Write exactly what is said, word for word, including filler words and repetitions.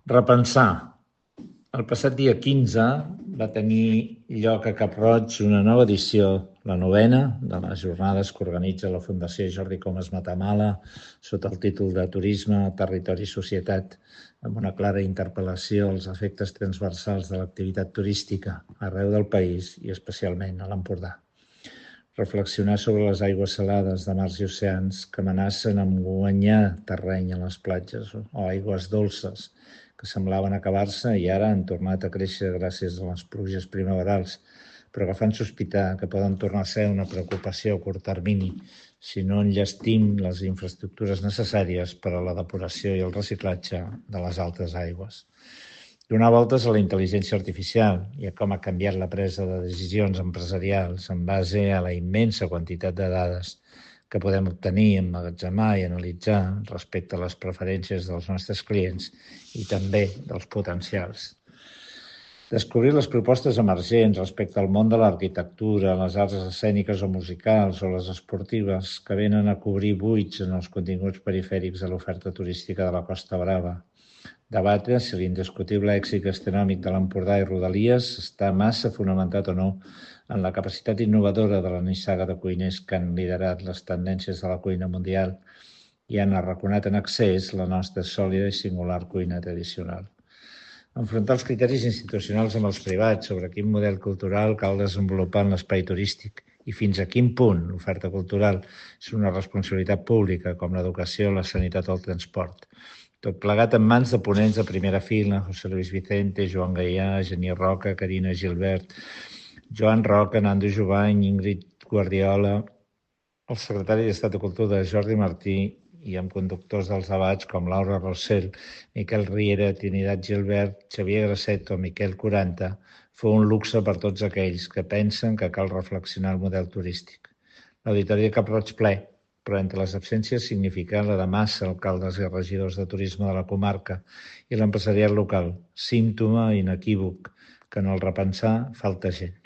Repensar. El passat dia quinze va tenir lloc a Cap-roig una nova edició, la novena, de les jornades que organitza la Fundació Jordi Comas Matamala sota el títol de Turisme, Territori i Societat, amb una clara interpel·lació als efectes transversals de l'activitat turística arreu del país i especialment a l'Empordà. Reflexionar sobre les aigües salades de mars i oceans que amenacen amb guanyar terreny a les platges o aigües dolces que semblaven acabar-se i ara han tornat a créixer gràcies a les pluges primaverals, però que fan sospitar que poden tornar a ser una preocupació a curt termini si no enllestim les infraestructures necessàries per a la depuració i el reciclatge de les altes aigües. Donar voltes a la intel·ligència artificial i a com ha canviat la presa de decisions empresarials en base a la immensa quantitat de dades que podem obtenir, emmagatzemar i analitzar respecte a les preferències dels nostres clients i també dels potencials. Descobrir les propostes emergents respecte al món de l'arquitectura, les arts escèniques o musicals o les esportives que venen a cobrir buits en els continguts perifèrics de l'oferta turística de la Costa Brava. Debatre si l'indiscutible èxit gastronòmic de l'Empordà i Rodalies està massa fonamentat o no en la capacitat innovadora de la nissaga de cuiners que han liderat les tendències de la cuina mundial i han arraconat en excés la nostra sòlida i singular cuina tradicional. Enfrontar els criteris institucionals amb els privats sobre quin model cultural cal desenvolupar en l'espai turístic i fins a quin punt l'oferta cultural és una responsabilitat pública com l'educació, la sanitat o el transport. Tot plegat en mans de ponents de primera fila, José Luis Vicente, Joan Gaià, Genier Roca, Carina Gilbert, Joan Roca, Nando Jovany, Ingrid Guardiola, el secretari d'Estat de Cultura Jordi Martí i amb conductors dels debats com Laura Rossell, Miquel Riera, Trinidad Gilbert, Xavier Grasset o Miquel Quaranta, fou un luxe per tots aquells que pensen que cal reflexionar el model turístic. L'Auditori de Cap-roig ple, però entre les absències significa la de massa alcaldes i regidors de turisme de la comarca i l'empresariat local, símptoma inequívoc que en el repensar falta gent.